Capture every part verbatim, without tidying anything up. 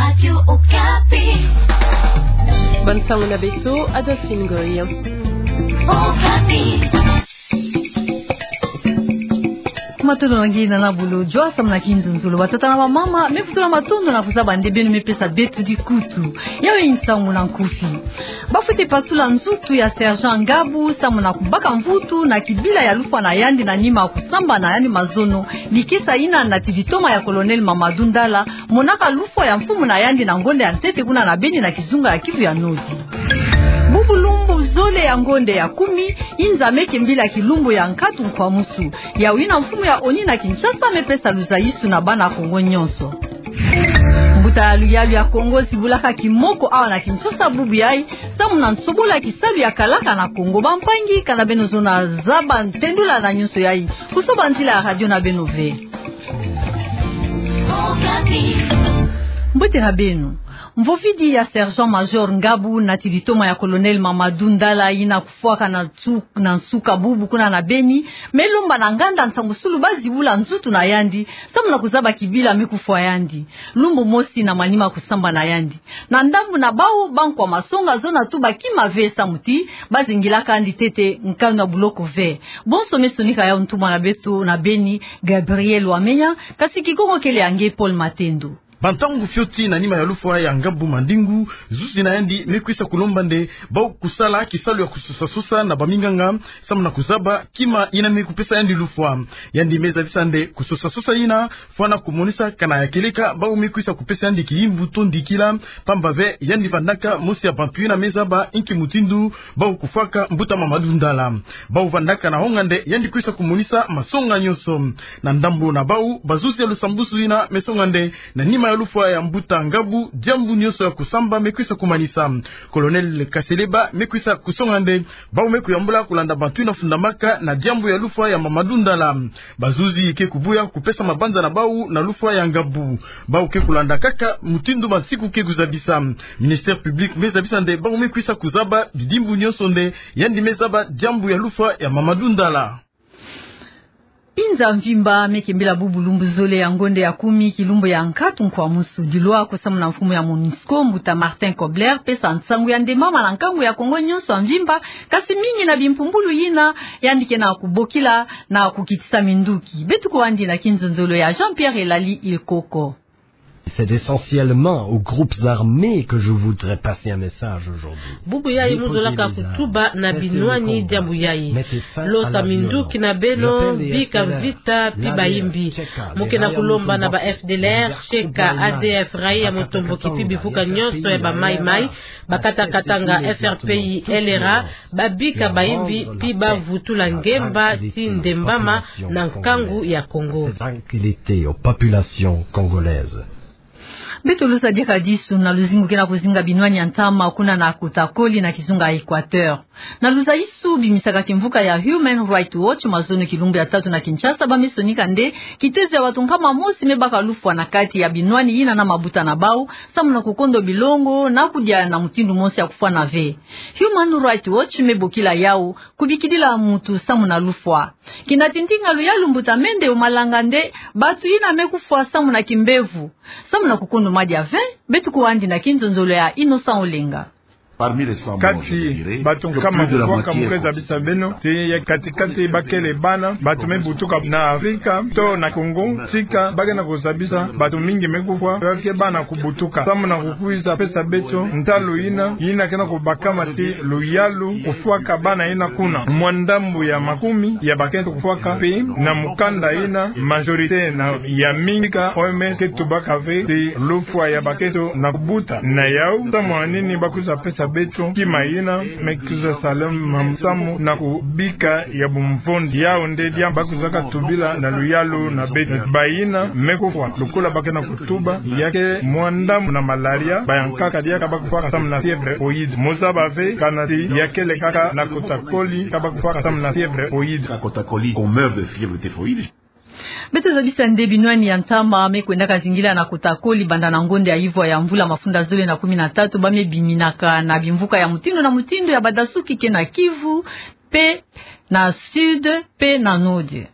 Radio Okapi. Bande sango na beto, Adolphine Goy. Okapi. Matondo na nge na bulo jwa samu na kinzonzolo. Batata na bamama, me vutula matondo na kuzaba nde beno me pesa beto dikutu. Yayi nsangu na nkufi. Ba fwete pasula nzutu ya Sergent Ngabu samu na kubaka mvutu na kibila ya lufwa na yandi na nima kusamba na yandi mazono, likesa yina nati litoma ya Colonel Mamadou Ndala, monaka lufwa ya mfumu na yandi na ngonda ya ntete kuna na beni na kizunga ya Kivu ya Nord. Bubu lumbu zole ya ngonda ya kumi, inza meke mbila kilumbu ya nkatu nkwamusu. Yawu yina mfumu ya ONU na Kinshasa me pesa luzayisu na bana Kongo nyonso. Mbuta ya luyalu ya Kongo zibulaka kimoko awa na Kinshasa bubu yayi, samu na nsobola kisalu ya kalaka na Kongo. Bampangi, kana beno zona zaba ntendula na nyonso yayi, kusoba nzila ya radio na beno ve. Mbote na beno. Mvovidi ya Sergent Major Ngabu nati litoma ya Colonel Mamadou Ndala yina kufwaka na nsu-, na nsuka bubu kuna na beni, me lomba na nganda nsangu sulu ba zibula nzutu na yandi, samu na kuzaba kibila me kufwa yandi. Lumbu mosi na manima kusamba na yandi. Na ndambu na bawu bankwa masonga zona tuba kima ve samu ti ba zingilaka yandi ntete nkanu ya buloko ve. Bonso me sonika yawu ntumwa na beto na beni, Gabriel Wamenya, kasi Kikongo kele ya nge Paul Matendo. Bantangu fioti na nima ya lufwa ya Ngabu Mandingu, zuzi na yandi me kwisa kulomba nde bawu kusala kisalu ya kusosa-sosa na baminganga, samu na kuzaba kima yina me kupesa yandi lufwa. Yandi me zabisa nde kusosa-sosa yina fwana kumonisa kana ya kieleka bawu me kwisa kupesa yandi kiyimbu to ndikila, pamba ve yandi vandaka mosi ya bantu yina me zaba inki mutindu bawu kufwaka mbuta Mamadou Ndala. Bawu vandaka na honga nde yandi kwisa kumonisa masonga nyonso. Na ndambu na bawu, bazuzi ya lusambusu yina me songa nde na nima ya lufwa ya mbuta Ngabu, diambu nyonso ya kusamba me kwisa kumanisa. Colonel Kaseleba me kwisa kusonga nde bawu me kuyambula kulanda bantu yina fundamaka na diambu ya lufwa ya Mamadou Ndala. Bazuzi ke kubuya kupesa mabanza na bawu na lufwa ya Ngabu. Bawu ke kulanda kaka mutindu bansiku ke kuzabisa. Ministère public me zabisa nde bawu me kwisa kuzaba bidimbu nyonso nde yandi me zaba diambu ya lufwa ya Mamadou Ndala. Inza mvimba meke mbila bubu lumbu zole ya ngonda ya kumi kilumbu ya nkatu nkwamusu. Dilwa ko samu na mfumu ya MONUSCO, mbuta Martin Kobler, pesa nsangu ya nde mama na nkangu ya Kongo nyonso ya mvimba, kasi mingi na bimpumbulu yina yandi ke na kubokila na kukitisa minduki. Beto kwandi na kinzonzolo ya Jean-Pierre Elali Ilkoko. C'est essentiellement aux groupes armés que je voudrais passer un message aujourd'hui. Bubu yayi mu zolaka kutuba na binwani diambu yayi. Losa minduki na beno, bika vita pi bayimbi. Mu ke na kulomba na ba F D L R, Sheka, A D F, Raia Mutomboki pi bivuka nyonso ya ba Mai Mai, Bakata Katanga, F R P I, L R A, babika bayimbi pi bavutula ngemba ti ndembama na nkangu ya Kongo. Cette tranquillité aux populations congolaises. Beto losa diaka disu na luzingu ke na kuzinga binwani ya ntama kuna na Kota Koli na kizunga Equateur. Na luzayisu bimisaka kimvuka ya Human Rights Watch mazono kilumbu ya tatu na Kinshasa, ba me sonika nde kitezo ya bato nkama mosi me baka lufwa na kati ya binwani yina na mabuta na bawu, samu na kukondo bilongo na kudia na mutindu mosi ya kufwana ve. Human Rights Watch me bokila yawu kubikidila mutu samu na lufwa. Kina tintinga luyalu mbuta Mende Omalanga nde bato yina me kufwa samu na kimbevo, samu na kukondo madia ve. Beto kwandi na kinzonzolo ya Innocent Olenga. Kati bato nkama kufwaka, mu ke zabisa beno ti ya kati-kati ba kele bana, bato me butuka na Afrika to na Congo, tika ba ke na kuzabisa bato mingi me kufwa, ba ke bana kubutuka. Samu na kukwiza pesa beto ntalu yina, yina ke na kubakama ti luyalu kufwaka bana yina kuna. Mwa ndambu ya makumi ya bakento kufwaka, mpe na mukanda yina majorité na ya mingi ka O M S ke tubaka ve ti lufwa ya bakento na kubuta. Na yawu, samu na nini ba kwiza pesa beto kima yina, me kwiza sala mamu samu na kubika ya bumvondi. Yawu nde diambu ba kwizaka tubila na luyalu na beto. Bayina me kufwa, lokola ba ke na kutuba, ya ke mwa ndambu na malaria, bayankaka diaka ba kufwaka samu na fièvre typhoïde. Mu zaba ve kana ti ya kele kaka na Kota Koli ka ba kufwaka samu na fièvre typhoïde. À Kota Koli, on meurt de fièvre typhoïde. Beto zabisa nde binwani ya ntama me kwendaka zingila na Kota Koli banda na ngonda ya ivwa ya mvula mafunda zole na kumi na tatu, ba me biminaka na bimvuka ya mutindu na mutindu ya badasuki ke na Kivu, mpe na Sud, mpe na Nord.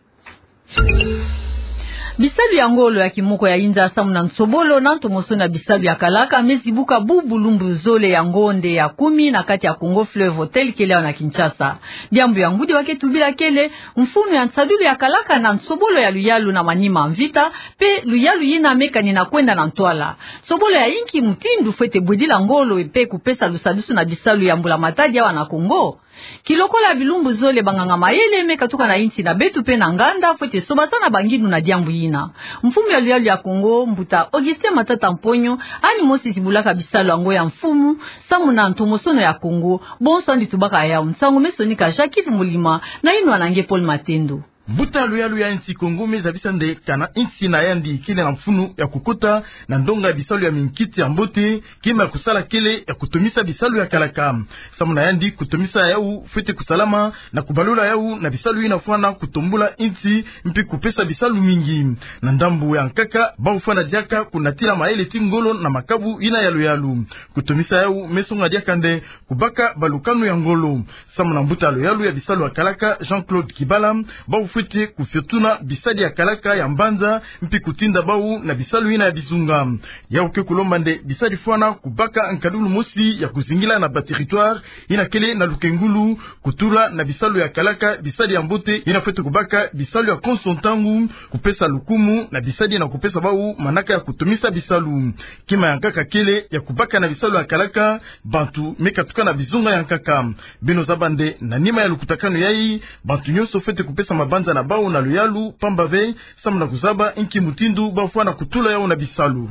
Bisalu ya ngolo ya kimoko ya inza samu na nsobolo na ntomosono ya bisalu ya kalaka me zibuka bu bulumbu zole ya ngonde ya kumi na kati ya Kongo Fleuve Hotel kele awa na Kinshasa. Diambu ya ngudi wa ke tubila kele mfunu ya nsadulu ya kalaka na nsobolo ya luyalu na manima mvita, pe luyalu yina me kanina kwenda na ntwala. Nsobolo ya inki mutindu fwete bwedila ngolo pe kupesa lusadusu na bisalu ya mbula matadi awa na Kongo? Kilokola bilumbu zole, banganga mayele me katuka na insi na beto pe na nganda fwete sobasana bangindu na diambu yina. Mfumu ya luyalu ya Kongo, mbuta Augustin Matata Mponyo, yandi mosi zibulaka bisalu yango ya mfumu samu na ntomosono ya Kongo. Bonso yandi tubaka yawu. Nsangu me sonika Jacques Mulima na yinwa na nge Paul Matendo. Mbuta luyalu ya insi Kongo me zabisa nde kana insi na yandi kele na mfunu ya kukota na ndonga ya bisalu ya minkiti ya mbote, kima ya kusala kele ya kutomisa bisalu ya kalaka. Samu na yandi, kutomisa yawu fwete kusalama na kubalula yawu na bisalu yina fwana kutombula insi mpi kupesa bisalu mingi. Na ndambu ya nkaka, bawu fwana diaka kunatila mayele ti ngolo na makabu yina ya luyalu. Kutomisa yawu me songa diaka nde kubaka balukanu ya ngolo. Samu na mbuta luyalu ya bisalu ya kalaka, Jean-Claude Kibala, bawu fwete kufiotuna bisadi ya kalaka ya mbanza mpi kutinda bawu na bisalu yina ya bizunga. Yawu ke kulomba nde bisadi fwana kubaka nkadulu mosi ya kuzingila na ba territoire yina kele na lukengulu, kutula na bisalu ya kalaka bisadi ya mbote yina fwete kubaka bisalu ya konso ntangu, kupesa lukumu na bisadi na kupesa bawu manaka ya kutomisa bisalu. Kima ya nkaka kele ya kubaka na bisalu ya kalaka bantu me katuka na bizunga ya nkaka. Beno zaba nde na nima ya lukutakanu yayi, bantu nyonso fwete kupesa mabanza na bawu na luyalu, pamba ve samu na kuzaba inki mutindu bawu fwana kutula yawu na bisalu.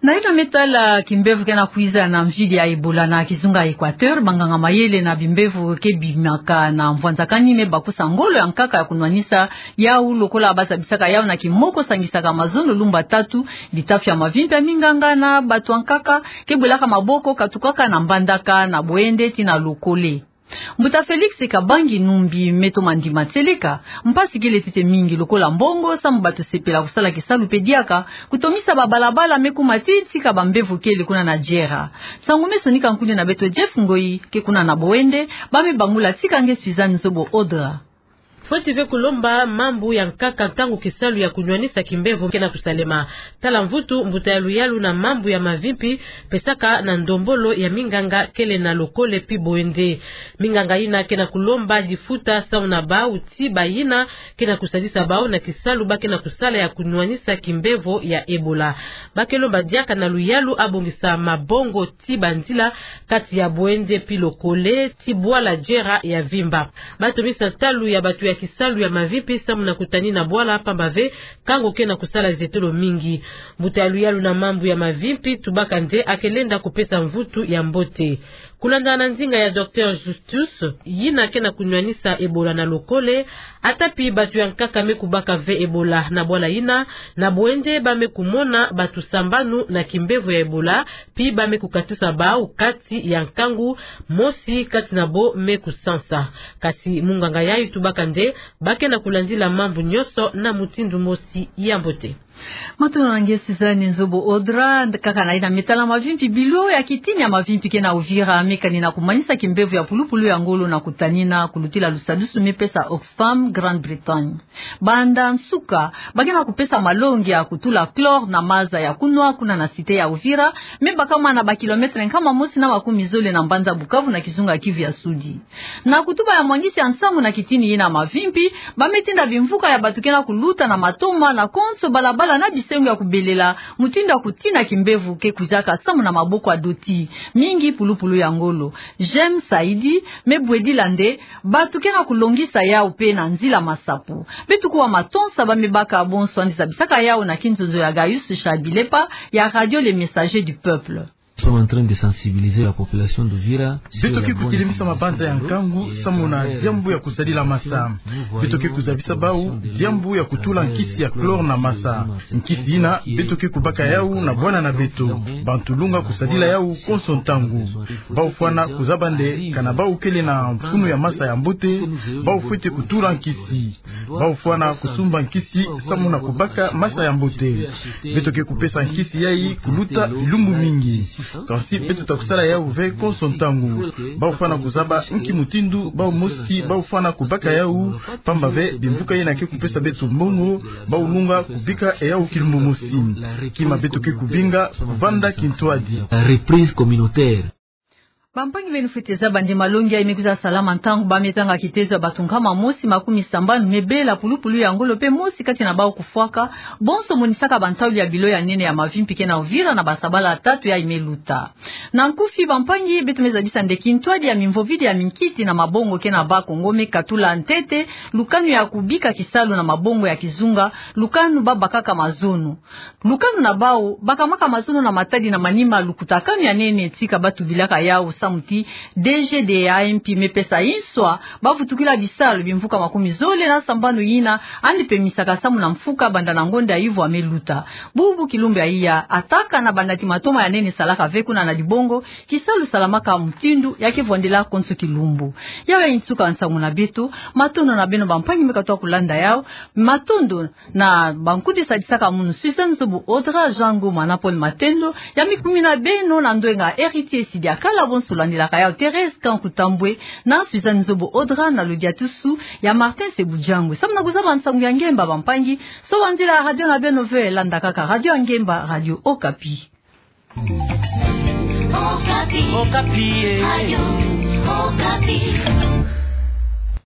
Na yina me tala kimbevo ke na kwiza na mvidi ya Ebola na kizunga Equateur, banganga mayele na bimbevo ke bimaka na mvwanzakani me bakusa ngolo ya nkaka ya kunwanisa yawu, lokola bazabisaka yawu na kimoko, sangisaka mazono lumbu tatu, bitafi ya mavimpi ya minganga na bato ya nkaka ke bwelaka maboko, katukaka na Mbandaka, na Boende ti na Lokole. Mbuta Félix Kabangi Numbi me toma ndima tieleka, mpasi kele ntete mingi lokola mbongo samu bato sepela kusala kisalu pe diaka, kutomisa babalabala me kuma ti nsika bambevo kele kuna na Djera. Nsangu me sonika nkundi na beto Jeff Ngoi ke kuna na Boende, ba me bangula tika nge Suzanne Nzobo Audra. Fweti ve kulomba mambu ya nkaka ntangu kisalu ya kunwanisa kimbevo ke na kusalema. Tala mvutu mbuta ya luyalu na mambu ya mavimpi pesaka na ndombolo ya minganga kele na Lokole pi Boende. Minganga yina ke na kulomba difuta samu na bawu ti bayina ke na kusadisa bawu na kisalu ba ke na kusala ya kunwanisa kimbevo ya Ebola. Ba ke lomba diaka na luyalu abongisa mabongo ti banzila kati ya Boende pi Lokole ti bwala Djera ya vimba. Ba tomisa ntalu ya bato ya kisalu ya mavimpi samu na kutanina bwala, pamba ve nkangu ke na kusala zetolo mingi. Mbuta ya luyalu na mambu ya mavimpi tubaka nde a ke lenda kupesa mvutu ya mbote. Kulanda na nzinga ya docteur Justus, yina ke na kunwanisa Ebola na Lokole, ata pi bato ya nkaka me kubaka ve Ebola na bwala yina, na Boende ba me kumona bato sambanu na kimbevo ya Ebola, pi ba me kukatusa bawu kati ya nkangu, mosi kati na bo me kusansa. Kasi munganga yayi tubaka nde ba ke na kulandila mambu nyonso na mutindu mosi ya mbote. Matondo na nge Suzanne Nzobo Audra. Kaka na yina me tala mavimpi, bilo ya kitini ya mavimpi ke na Uvira me kanina kumanisa kimbevo ya pulupulu ya ngolo na kutanina kulutila lusadusu me pesa Oxfam Grande-Bretagne. Banda nsuka, ba ke na kupesa malongi ya kutula chlore na maza ya kunwa kuna na cité ya Uvira, me bakama na ba kilomètre nkama mosi na makumi zole na mbanza Bukavu na kizunga Kivu ya Sudi. Na kutuba ya mwangisi ya nsangu na kitini yina mavimpi, ba me tinda bimvuka ya bato ke na kuluta na matoma na konso balabala na bisengo ya kubelela mutindu ya kutina kimbevo ke kwizaka samu na maboko ya doti, mingi pulupulu ya ngolo. Jem Saidi me bwedila nde bato ke na kulongisa yawu pe na nzila masapo. Beto kuwa matonsa ba me baka bonso yandi zabisaka yawu na kinzonzo ya Gaius Charles Bilepa ya Radio Le Messager du Peuple. Nous sommes en train de sensibiliser la population d'Uvira sur la bonne utilisation de l'eau et à travers cette manifestation, nous voyons que nous sommes en train de sensibiliser la population d'Uvira. Beto ke kutilimisa mabanza ya nkangu samu na diambu ya kuzadila masa. Beto ke kuzabisa bawu diambu ya kutula nkisi ya chlore na masa. Nkisi yina beto ke kubaka yawu na bwana na beto. Bantu lunga kusadila yawu konso ntangu. Bawu fwana kuzaba nde kana bawu kele na mfunu ya masa ya mbote, bawu fwete kutula nkisi. Bawu fwana kusumba nkisi samu na kubaka masa ya mbote. Beto ke kupesa nkisi yayi kuluta bilumbu mingi. Kansi beto ta kusala yau ve konso ntangu. Bau fwana kuzaba nki mutindu bau mosi bau fwana kubaka yau, pamba ve bimvuka yina ke kupesa beto mbongo, bau lunga kubika yau kilumbu mosi. Kima beto ke kubinga, kuvanda kintwadi. Reprise communautaire. Bampangi beno fwete zaba nde malongi ayi me kwiza salama ntangu bamie tanga kitezo ya bato nkama mosi makumi sambanu me bela pulupulu ya ngolo pe mosi kati na bau kufwaka, bonso monisaka bantauli ya bilo ya nene ya mavimpi ke na Uvira na basabala tatu yayi me luta. Na nkufi bampangi, beto me zabisa nde kintwadi ya mimvovidi ya minkiti na mabongo ke na Bas-Congo me katula ntete lukanu ya kubika kisalu na mabongo ya kizunga, lukanu babakaka mazono. Lukanu na bau bakamaka mazono na matadi na manima lukutakanu ya nene tika batubilaka yau samu ti D G D A M P me pesa inswa bavutukila bisalu bimvuka makumi zole na sambanu yina yandi pemisaka samu na mfuka banda na ngonda ya ivwa me luta. Bubu kilumbu ya iya ataka na banda ti matoma ya nene salaka ve kuna na dibongo, kisalu salamaka mutindu ya ke vwandila konso kilumbu. Yau yayi nsuka nsangu na beto. Matondo na beno bampangi me katula kulanda yau. Matondo na bankude sadisaka munu, Suzanne Zobo Audra, Jean Ngoma na Paul Matendo, ya mikumina beno na ndwenga Héritier Sidiakala, bonso landilaka yau Thérèse Kanku Tambwe na Suzanne Zobo Audra na lodiatusu ya Martin Sebudjangwe. Samu na kuzaba nsangu ya ngemba bampangi, sobanzila radio na beno ve, landa kaka radio ya ngemba, Radio Okapi. Okapi. Okapi, eh. Radio Okapi.